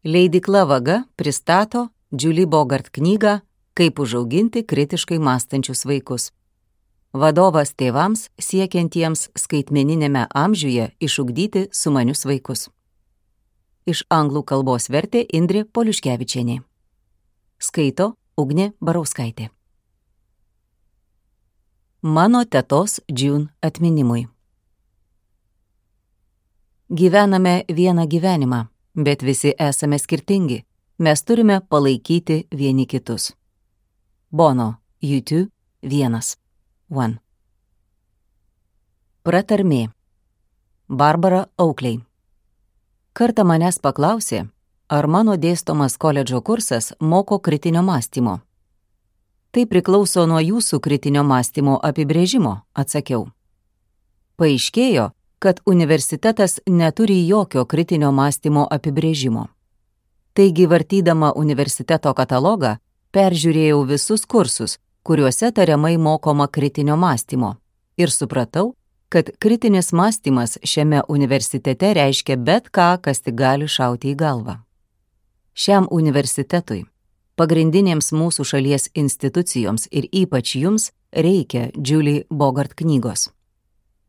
Leidykla Vaga pristato Julie Bogart knygą Kaip užauginti kritiškai mąstančius vaikus. Vadovas tėvams siekiantiems skaitmeniniame amžiuje išugdyti sumanius vaikus. Iš anglų kalbos vertė Indrė Poliuškevičienė. Skaito Ugnė Barauskaitė. Mano tetos June atminimui. Gyvename vieną gyvenimą, bet visi esame skirtingi. Mes turime palaikyti vieni kitus. Bono, U2, 1. Pratarmė. Barbara Oakley. Kartą manęs paklausė, ar mano dėstomas koledžo kursas moko kritinio mąstymo. Tai priklauso nuo jūsų kritinio mąstymo apibrėžimo, atsakiau. Paaiškėjo, kad universitetas neturi jokio kritinio mąstymo apibrėžimo. Taigi, vartydama universiteto katalogą, peržiūrėjau visus kursus, kuriuose tariamai mokoma kritinio mąstymo, ir supratau, kad kritinis mąstymas šiame universitete reiškia bet ką, kas tik gali šauti į galvą. Šiam universitetui, pagrindinėms mūsų šalies institucijoms ir ypač jums reikia Julie Bogart knygos.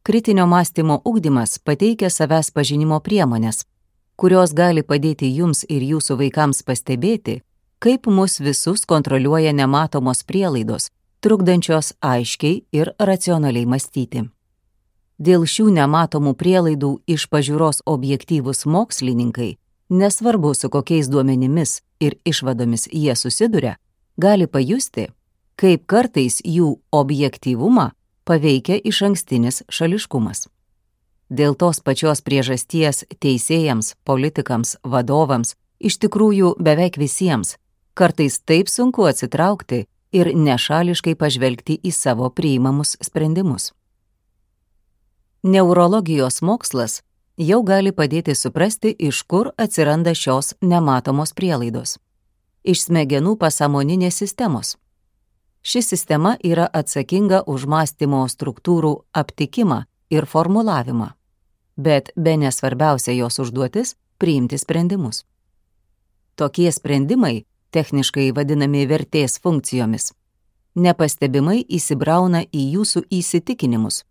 Kritinio mąstymo ugdymas pateikia savęs pažinimo priemonės, kurios gali padėti jums ir jūsų vaikams pastebėti, kaip mus visus kontroliuoja nematomos prielaidos, trukdančios aiškiai ir racionaliai mąstyti. Dėl šių nematomų prielaidų iš pažiūros objektyvūs mokslininkai, nesvarbu su kokiais duomenimis ir išvadomis jie susiduria, gali pajusti, kaip kartais jų objektyvumą paveikia išankstinis šališkumas. Dėl tos pačios priežasties teisėjams, politikams, vadovams, iš tikrųjų beveik visiems, kartais taip sunku atsitraukti ir nešališkai pažvelgti į savo priimamus sprendimus. Neurologijos mokslas jau gali padėti suprasti, iš kur atsiranda šios nematomos prielaidos. Iš smegenų pasąmoninės sistemos. Ši sistema yra atsakinga už mąstymo struktūrų aptikimą ir formulavimą, bet bene svarbiausia jos užduotis – priimti sprendimus. Tokie sprendimai, techniškai vadinami vertės funkcijomis, nepastebimai įsibrauna į jūsų įsitikinimus,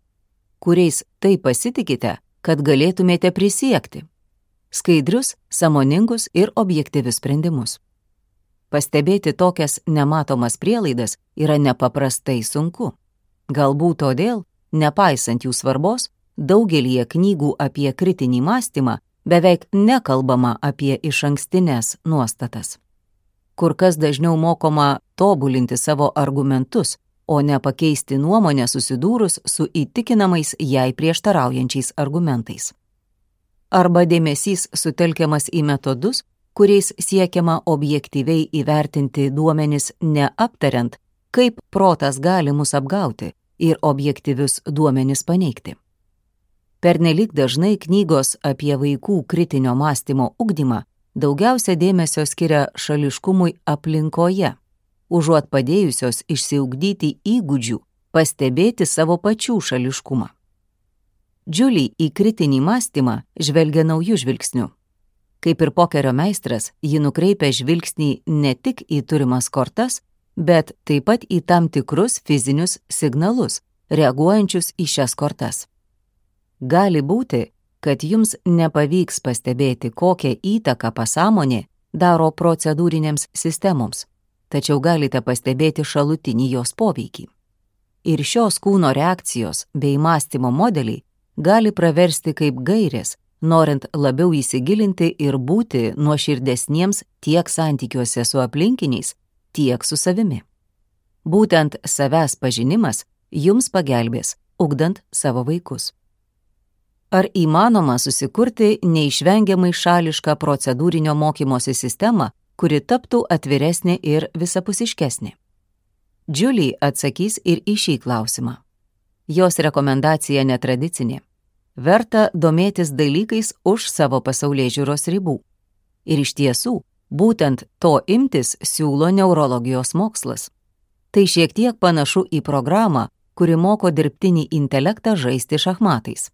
kuriais taip pasitikite, kad galėtumėte prisiekti – skaidrius, sąmoningus ir objektyvius sprendimus. Pastebėti tokias nematomas prielaidas yra nepaprastai sunku. Galbūt todėl, nepaisant jų svarbos, daugelyje knygų apie kritinį mąstymą beveik nekalbama apie išankstines nuostatas. Kur kas dažniau mokoma tobulinti savo argumentus, o ne pakeisti nuomonę susidūrus su įtikinamais jai prieštaraujančiais argumentais. Arba dėmesys sutelkiamas į metodus, kuriais siekiama objektyviai įvertinti duomenis neaptariant, kaip protas gali mus apgauti ir objektyvius duomenis paneigti. Pernelyg dažnai knygos apie vaikų kritinio mąstymo ugdymą daugiausia dėmesio skiria šališkumui aplinkoje, užuot padėjusios išsiugdyti įgūdžių, pastebėti savo pačių šališkumą. Julie į kritinį mąstymą žvelgia naujų žvilgsnių. Kaip ir pokerio meistras, ji nukreipia žvilgsnį ne tik į turimas kortas, bet taip pat į tam tikrus fizinius signalus, reaguojančius į šias kortas. Gali būti, kad jums nepavyks pastebėti, kokią įtaką pasąmonė daro procedūrinėms sistemoms, tačiau galite pastebėti šalutinį jos poveikį. Ir šios kūno reakcijos bei mąstymo modeliai gali praversti kaip gairės, norint labiau įsigilinti ir būti nuoširdesniems tiek santykiuose su aplinkiniais, tiek su savimi. Būtent savęs pažinimas jums pagelbės, ugdant savo vaikus. Ar įmanoma susikurti neišvengiamai šališką procedūrinio mokymosi sistemą, kuri taptų atviresnė ir visapusiškesnė? Julie atsakys ir į šį klausimą. Jos rekomendacija netradicinė. Verta domėtis dalykais už savo pasaulėžiūros ribų. Ir iš tiesų, būtent to imtis siūlo neurologijos mokslas. Tai šiek tiek panašu į programą, kuri moko dirbtinį intelektą žaisti šachmatais.